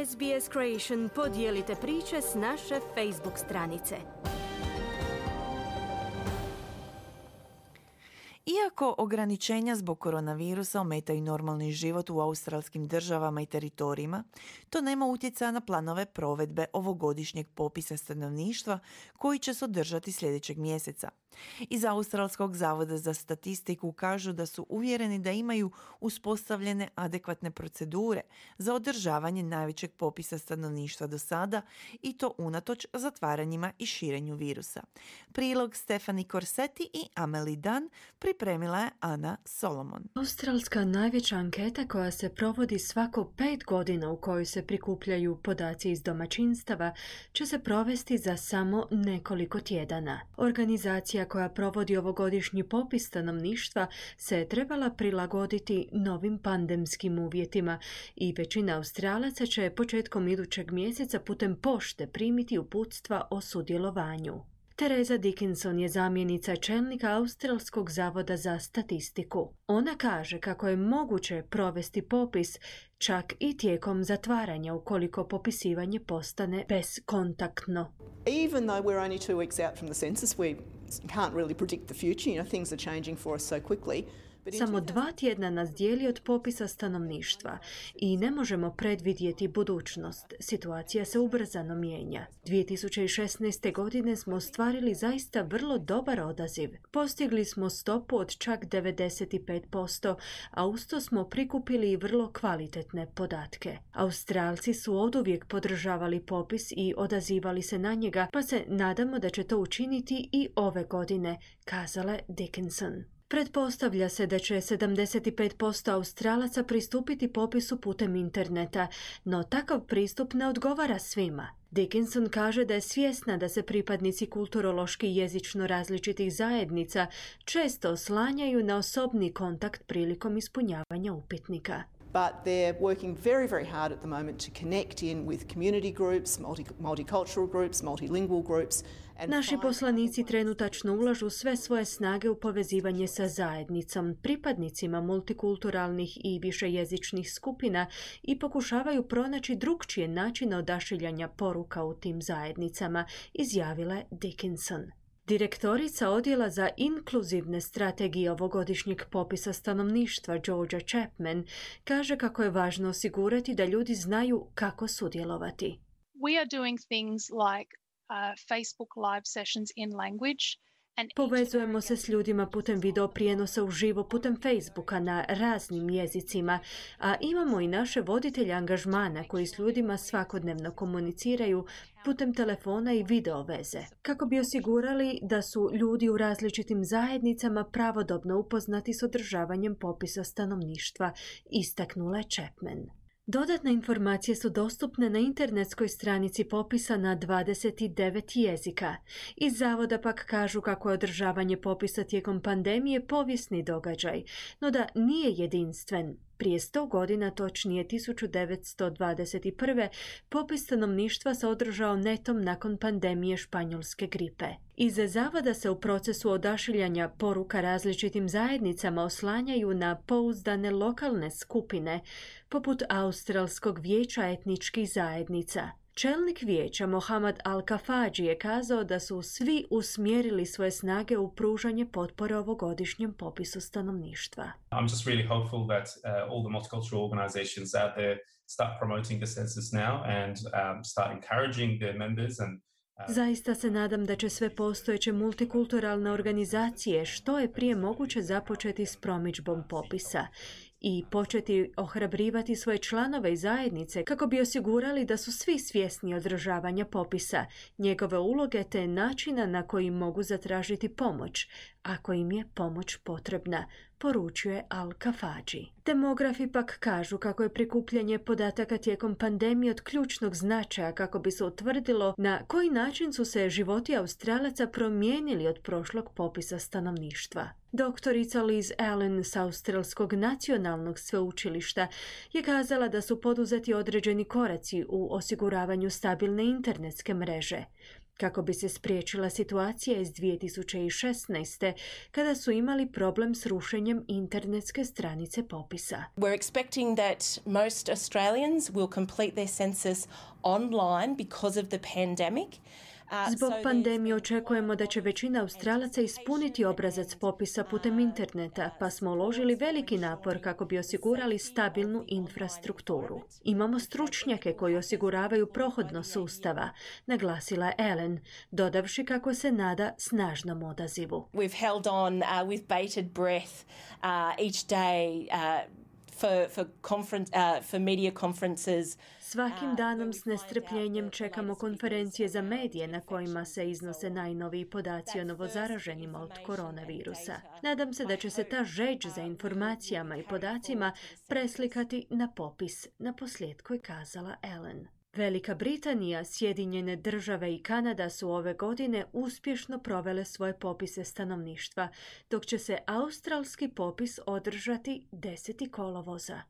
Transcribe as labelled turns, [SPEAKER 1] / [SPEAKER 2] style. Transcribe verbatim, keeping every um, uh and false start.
[SPEAKER 1] S B S Creation podijelite priče s naše Facebook stranice.
[SPEAKER 2] Iako ograničenja zbog koronavirusa ometaju normalni život u australskim državama i teritorijima, to nema utjecaja na planove provedbe ovogodišnjeg popisa stanovništva koji će se održati sljedećeg mjeseca. Iz Australskog zavoda za statistiku kažu da su uvjereni da imaju uspostavljene adekvatne procedure za održavanje najvećeg popisa stanovništva do sada i to unatoč zatvaranjima i širenju virusa. Prilog Stefani Corsetti i Amelie Dunn pripremila je Ana Solomon.
[SPEAKER 3] Australska najveća anketa koja se provodi svako pet godina u kojoj se prikupljaju podaci iz domaćinstava će se provesti za samo nekoliko tjedana. Organizacija koja provodi ovogodišnji popis stanovništva se je trebala prilagoditi novim pandemskim uvjetima i većina Australaca će početkom idućeg mjeseca putem pošte primiti uputstva o sudjelovanju. Teresa Dickinson je zamjenica čelnika Australskog zavoda za statistiku. Ona kaže kako je moguće provesti popis čak i tijekom zatvaranja ukoliko popisivanje postane bezkontaktno.
[SPEAKER 4] Even though we're only two weeks out from the census, we can't really predict the future. You know, things are changing for us so quickly.
[SPEAKER 3] Samo dva tjedna nas dijeli od popisa stanovništva i ne možemo predvidjeti budućnost. Situacija se ubrzano mijenja. dvije tisuće šesnaeste. godine smo ostvarili zaista vrlo dobar odaziv. Postigli smo stopu od čak devedeset pet posto, a uz to smo prikupili i vrlo kvalitetne podatke. Australci su oduvijek podržavali popis i odazivali se na njega, pa se nadamo da će to učiniti i ove godine, kazala Dickinson. Pretpostavlja se da će sedamdeset pet posto Australaca pristupiti popisu putem interneta, no takav pristup ne odgovara svima. Dickinson kaže da je svjesna da se pripadnici kulturološki i jezično različitih zajednica često oslanjaju na osobni kontakt prilikom ispunjavanja upitnika.
[SPEAKER 4] But they're working very, very hard at the moment to connect in with community groups, multi, multicultural groups, multilingual groups.
[SPEAKER 3] Naši poslanici trenutačno ulažu sve svoje snage u povezivanje sa zajednicom, pripadnicima multikulturalnih i višejezičnih skupina i pokušavaju pronaći drukčije načine odašiljanja poruka u tim zajednicama, izjavila je Dickinson. Direktorica odjela za inkluzivne strategije ovogodišnjeg popisa stanovništva Georgia Chapman kaže kako je važno osigurati da ljudi znaju kako sudjelovati.
[SPEAKER 5] We are doing things like uh, Facebook live sessions in language.
[SPEAKER 3] Povezujemo se s ljudima putem video prijenosa uživo putem Facebooka na raznim jezicima, a imamo i naše voditelje angažmana koji s ljudima svakodnevno komuniciraju putem telefona i video veze, kako bi osigurali da su ljudi u različitim zajednicama pravodobno upoznati s održavanjem popisa stanovništva, istaknula je Chapman. Dodatne informacije su dostupne na internetskoj stranici popisa na dvadeset devet jezika. Iz zavoda pak kažu kako je održavanje popisa tijekom pandemije povijesni događaj, no da nije jedinstven. Prije sto godina, točnije tisuću devetsto dvadeset prve. popis stanovništva se održao netom nakon pandemije španjolske gripe. Iz zavoda se u procesu odašiljanja poruka različitim zajednicama oslanjaju na pouzdane lokalne skupine, poput Australskog vijeća etničkih zajednica. Čelnik vijeća Mohamed Al-Kafaji je kazao da su svi usmjerili svoje snage u pružanje potpore ovogodišnjem popisu stanovništva.
[SPEAKER 6] I'm just really hopeful that uh, all the multicultural organizations out there start promoting the census now and um, start encouraging their members and
[SPEAKER 3] Zaista se nadam da će sve postojeće multikulturalne organizacije što je prije moguće započeti s promidžbom popisa i početi ohrabrivati svoje članove i zajednice kako bi osigurali da su svi svjesni održavanja popisa, njegove uloge te načina na koji mogu zatražiti pomoć, ako im je pomoć potrebna, poručuje Al-Kafaji. Demografi pak kažu kako je prikupljanje podataka tijekom pandemije od ključnog značaja kako bi se utvrdilo na koji način su se životi Australaca promijenili od prošlog popisa stanovništva. Doktorica Liz Allen s Australskog nacionalnog sveučilišta je kazala da su poduzeti određeni koraci u osiguravanju stabilne internetske mreže. kako bi se spriječila situacija iz dvije tisuće šesnaeste. kada su imali problem s rušenjem internetske stranice popisa.
[SPEAKER 7] We're expecting that most Australians will complete their census online because of the pandemic.
[SPEAKER 3] Zbog pandemije očekujemo da će većina Australaca ispuniti obrazac popisa putem interneta, pa smo uložili veliki napor kako bi osigurali stabilnu infrastrukturu. Imamo stručnjake koji osiguravaju prohodnost sustava, naglasila je Ellen, dodavši kako se nada snažnom odazivu.
[SPEAKER 7] We've held on uh, with bated breath uh, each day uh, For, for, conference, uh, for media conferences.
[SPEAKER 3] Svakim danom s nestrpljenjem čekamo konferencije za medije na kojima se iznose najnoviji podaci o novozaraženima od koronavirusa. Nadam se da će se ta žeđ za informacijama i podacima preslikati na popis, na posljedku je kazala Ellen. Velika Britanija, Sjedinjene države i Kanada su ove godine uspješno provele svoje popise stanovništva, dok će se australski popis održati desetog kolovoza.